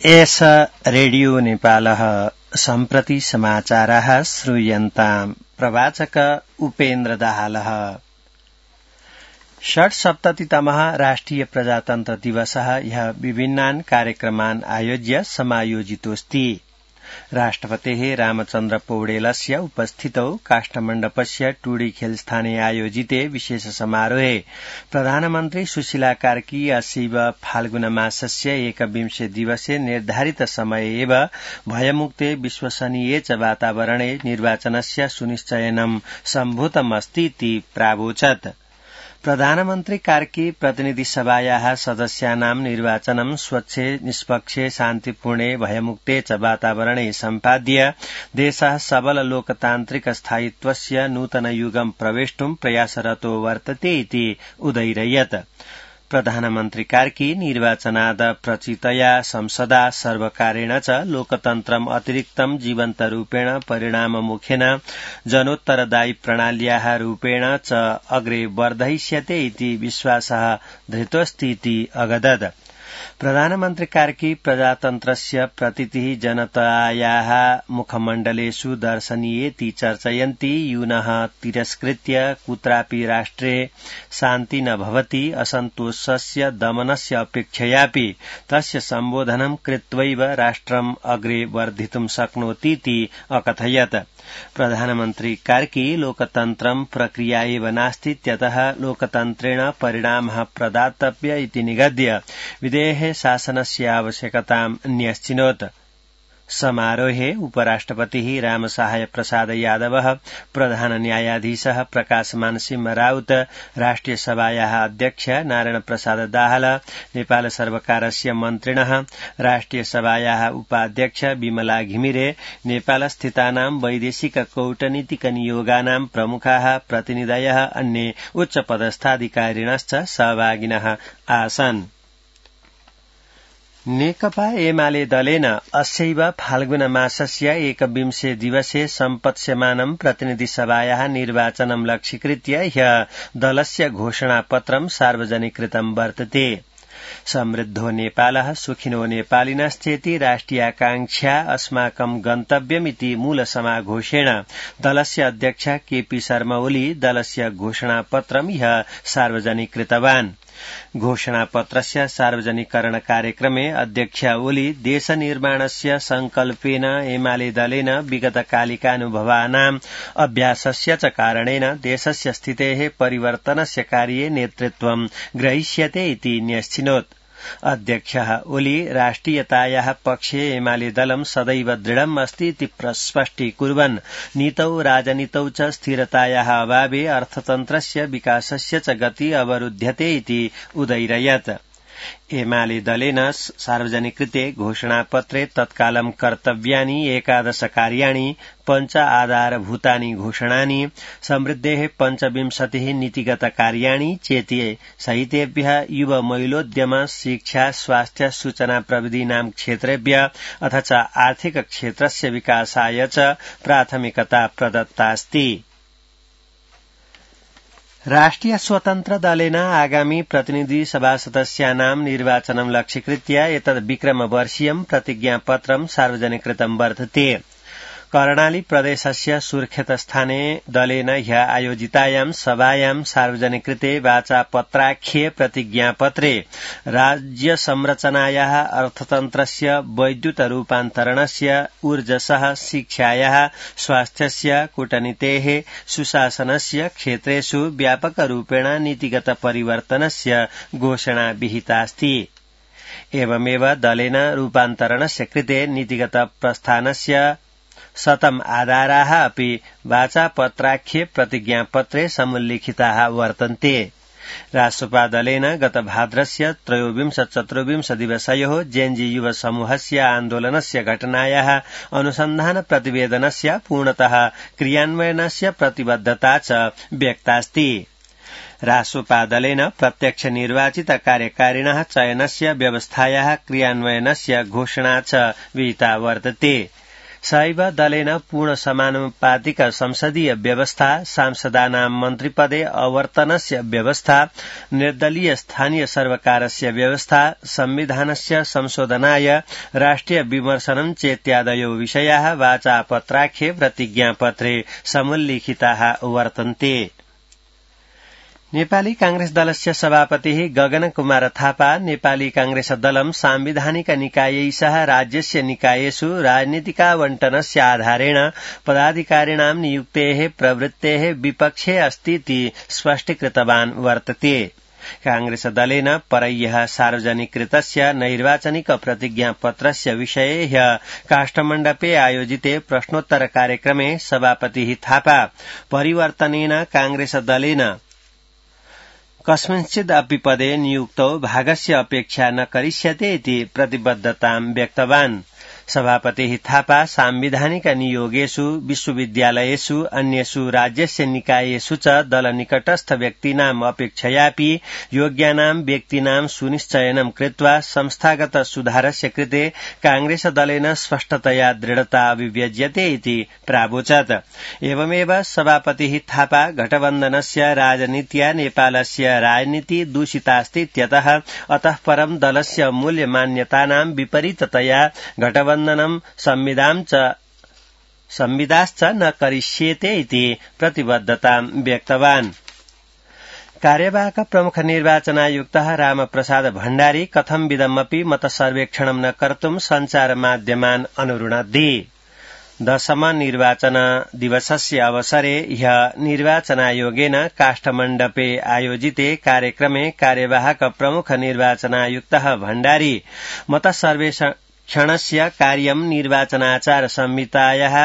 एष रेडियो नेपालः सम्प्रति समाचाराः श्रूयन्ताम्। प्रवाचक उपेन्द्र दाहालः। षट्सप्ततितमः राष्ट्रिय प्रजातन्त्र दिवसः ह्यः विभिन्नान् कार्यक्रमान् आयोज्य समायोजितोऽस्ति। राष्ट्रपतेः रामचन्द्र पौडेलस्य उपस्थितौ काष्ठमण्डपस्य टुडी खेलस्थाने आयोजिते विशेष समारोहे प्रधानमन्त्री सुशीला कार्की अस्यैव फाल्गुनमासस्य 21 दिवसे निर्धारित समये एव भयमुक्ते विश्वसनीये च वातावरणे निर्वाचनस्य सुनिश्चयनं सम्भूतमस्तीति प्रावोचत्। प्रधानमन्त्री कार्की प्रतिनिधि सभायाः सदस्यानां निर्वाचनं स्वच्छे निष्पक्षे शान्तिपूर्णे भयमुक्ते च वातावरणे सम्पाद्य देशः सबल लोकतान्त्रिक स्थायित्वस्य नूतन युगं प्रवेष्टुं प्रयासरतो वर्तते इति उदयिरयत्। प्रधानमन्त्री कार्की निर्वाचनाद प्रचितया संसदा सर्वकारेण च लोकतन्त्रम् अतिरिक्तं जीवन्तरूपेण परिणाममुखेन जनोत्तरदायी प्रणाल्याः रूपेण च अग्रे वर्धयिष्यते इति विश्वासः धृतोऽस्ति इति अगदत्। प्रधानमन्त्री कार्की प्रजातन्त्रस्य प्रतीतिः जनतायाः मुखमण्डलेषु दर्शनीयेति चर्चयन्ति। यूनः तिरस्कृत्य कुत्रापि राष्ट्रे शान्ति न भवति, असन्तोषस्य दमनस्य अपेक्षयापि तस्य सम्बोधनं कृत्वैव राष्ट्रम् अग्रे वर्धितुं शक्नोतीति अकथयत्। प्रधानमन्त्री कार्की लोकतन्त्रं प्रक्रिया एव नास्तीत्यतः लोकतन्त्रेण परिणामः प्रदातव्य इति निगद्य विधेः शासनस्य आवश्यकतां न्यश्चिनोत्। समारोहे उपराष्ट्रपतिः रामसहाय प्रसाद यादवः, प्रधान न्यायाधीशः प्रकाश मानसिंह राउत, राष्ट्रिय सभायाः अध्यक्ष नारायण प्रसाद दाहाल, नेपाल सर्वकारस्य मन्त्रिणः, राष्ट्रिय सभायाः उपाध्यक्ष विमला घिमिरे, नेपाल स्थितानां वैदेशिक कूटनीतिक नियोगानां प्रमुखाः प्रतिनिधयः, अन्ये उच्चपदस्थाधिकारिणश्च सहभागिनः आसन्। नेकपा एमाले दलेन अस्यैव फाल्गुनमासस्य 21 दिवसे सम्पत्स्यमानं प्रतिनिधिसभायाः निर्वाचनं लक्ष्यीकृत्य ह्यः दलस्य घोषणापत्रं सार्वजनिकृतं वर्तते। समृद्धो नेपालः सुखिनो नेपालिनश्चेति राष्ट्रियाकांक्षा अस्माकं गन्तव्यमिति मूलसमाघोषेण दलस्य अध्यक्ष केपी शर्मा ओली दलस्य घोषणापत्रं ह्यः सार्वजनिकृतवान्। घोषणापत्रस्य सार्वजनिकरण कार्यक्रमे अध्यक्ष ओली देशनिर्माणस्य संकल्पेन एमाले दलेन विगतकालिकानुभवानाम् अभ्यासस्य च कारणेन देशस्य स्थितेः परिवर्तनस्य कार्ये नेतृत्वं ग्रहीष्यते इति न्यश्चिनोत्। अध्यक्षः ओली राष्ट्रियतायाः पक्षे एमाले दलं सदैव दृढम् अस्ति इति स्पष्टीकुर्वन् नीतौ राजनीतौ च स्थिरतायाः अभावे अर्थतन्त्रस्य विकासस्य च गति अवरुध्यते इति उदयिरयत्। एमाले दलेन सार्वजनिकृते घोषणापत्रे तत्कालं कर्तव्यानि 11 कार्याणि, 5 आधारभूतानि घोषणानि, समृद्धेः 25 नीतिगत कार्याणि चेति सहितेभ्यः युव महिलोद्यम, शिक्षा, स्वास्थ्य, सूचना प्रविधीनां क्षेत्रेभ्यः अथ च आर्थिक क्षेत्रस्य विकासाय च प्राथमिकता प्रदत्तास्ति। राष्ट्रिय स्वतन्त्र दलेन आगामी प्रतिनिधि सभा सदस्यानां निर्वाचनं लक्ष्यीकृत्य एतद् विक्रमवर्षीयं प्रतिज्ञापत्रं सार्वजनिकृतं वर्तते। कर्णाली प्रदेशस्य सुर्खेतस्थाने दलेन ह्यः आयोजितायां सभायां सार्वजनिकृते वाचापत्राख्ये प्रतिज्ञापत्रे राज्य संरचनायाः, अर्थतन्त्रस्य, वैद्युत रूपान्तरणस्य, ऊर्जसः, शिक्षायाः, स्वास्थ्यस्य, कूटनीतेः, सुशासनस्य क्षेत्रेषु व्यापकरूपेण नीतिगत परिवर्तनस्य घोषणा विहितास्ति। एवमेव दलेन रूपान्तरणस्य कृते नीतिगत प्रस्थानस्य 100 आधाराः अपि वाचापत्राख्ये प्रतिज्ञापत्रे समुल्लिखिताः वर्तन्ते। राष्ट्रपा दलेन गत भाद्रस्य 23-24 दिवसयोः जेएनजी युव समूहस्य आन्दोलनस्य घटनायाः अनुसन्धान प्रतिवेदनस्य पूर्णतः क्रियान्वयनस्य प्रतिबद्धता च व्यक्तास्ति। राष्ट्रपा दलेन प्रत्यक्ष निर्वाचित कार्यकारिणः चयनस्य व्यवस्थायाः क्रियान्वयनस्य घोषणा च विहिता वर्तते। सैव दलेन पूर्ण समानुपातिक संसदीय व्यवस्था सांसदानां मन्त्रिपदे अवर्तनस्य व्यवस्था निर्दलीय स्थानीय सर्वकारस्य व्यवस्था संविधानस्य संशोधनाय राष्ट्रिय विमर्शनं चेत्यादयो विषयाः वाचापत्राख्ये प्रतिज्ञापत्रे समुल्लिखिताः वर्तन्ते। नेपाली कांग्रेस दलस्य सभापतिः गगन कुमार थापा नेपाली कांग्रेस दलं सांविधानिक निकायै सह राज्यस्य निकायेषु राजनीतिकावण्टनस्य आधारेण पदाधिकारिणां नियुक्तेः प्रवृत्तेः विपक्षे अस्तीति स्पष्टीकृतवान् वर्तते। कांग्रेस दलेन परह्यः सार्वजनिकृतस्य नैर्वाचनिक प्रतिज्ञापत्रस्य विषये ह्यः काष्ठमण्डपे आयोजिते प्रश्नोत्तर कार्यक्रमे सभापतिः थापा परिवर्तनेन कांग्रेस दलेन कस्मिंश्चिद् अपि पदे नियुक्तौ भागस्य अपेक्षा न करिष्यते इति प्रतिबद्धतां व्यक्तवान्। सभापतिः थापा सांविधानिक नियोगेषु विश्वविद्यालयेषु अन्येषु राज्यस्य निकायेषु च दलनिकटस्थ व्यक्तीनाम् अपेक्षयापि योग्यानां व्यक्तीनां सुनिश्चयनं कृत्वा संस्थागत सुधारस्य कृते कांग्रेस दलेन स्पष्टतया दृढता अभिव्यज्यते इति प्रावोचत्। एवमेव सभापतिः थापा गठबन्धनस्य राजनीत्या नेपालस्य राजनीति दूषितास्तीत्यतः अतः परं दलस्य मूल्यमान्यतानां विपरीततया गठबन्धनं संविदाश्च न करिष्येते इति प्रतिबद्धतां व्यक्तवान्। कार्यवाहक प्रमुख निर्वाचनायुक्तः रामप्रसाद भण्डारी कथंविदमपि मतसर्वेक्षणं न कर्तुं सञ्चारमाध्यमान् अनुरुणद्धि। 10 निर्वाचन दिवसस्य अवसरे ह्यः निर्वाचनायोगेन काष्ठमण्डपे आयोजिते कार्यक्रमे कार्यवाहक प्रमुख निर्वाचनायुक्तः भण्डारी मतसर्वेक्षणस्य कार्यं निर्वाचनाचार संहितायाः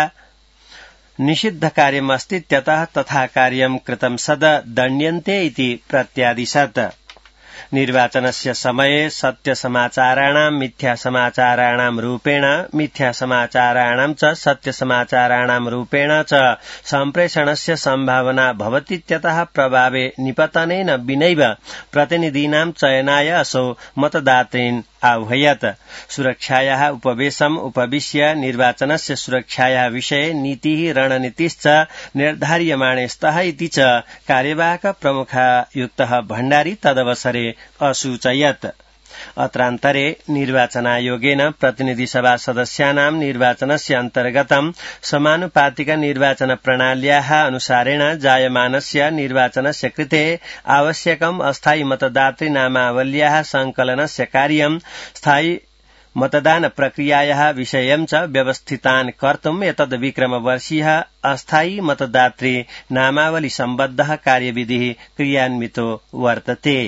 निषिद्ध कार्यमस्तीत्यतः तथा कार्यं कृतं सद दण्ड्यन्ते इति प्रत्यादिशत्। निर्वाचनस्य समये सत्यसमाचाराणां मिथ्यासमाचाराणां रूपेण मिथ्यासमाचाराणां च सत्यसमाचाराणां रूपेण च सम्प्रेषणस्य सम्भावना भवतीत्यतः प्रभावे निपतनेन विनैव प्रतिनिधीनां चयनाय असौ मतदातॄन् आह्वयत्। सुरक्षायाः उपवेशम् उपविश्य निर्वाचनस्य सुरक्षायाः विषये नीतिः रणनीतिश्च निर्धार्यमाणे स्तः इति च कार्यवाहक प्रमुखायुक्तः भण्डारी तदवसरे असूचयत्। अत्रान्तरे निर्वाचनायोगेन प्रतिनिधिसभा सदस्यानां निर्वाचनस्य अन्तर्गतं समानुपातिक निर्वाचन प्रणाल्याः अनुसारेण जायमानस्य निर्वाचनस्य कृते आवश्यकम् अस्थायी मतदातृनामावल्याः संकलनस्य कार्यं स्थायी मतदान प्रक्रियायाः विषयं च व्यवस्थितान् कर्तुम् एतद् विक्रमवर्षीयः अस्थायी मतदातृ नामावली सम्बद्धः कार्यविधिः क्रियान्वितो वर्तते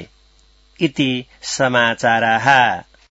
इति समाचाराः।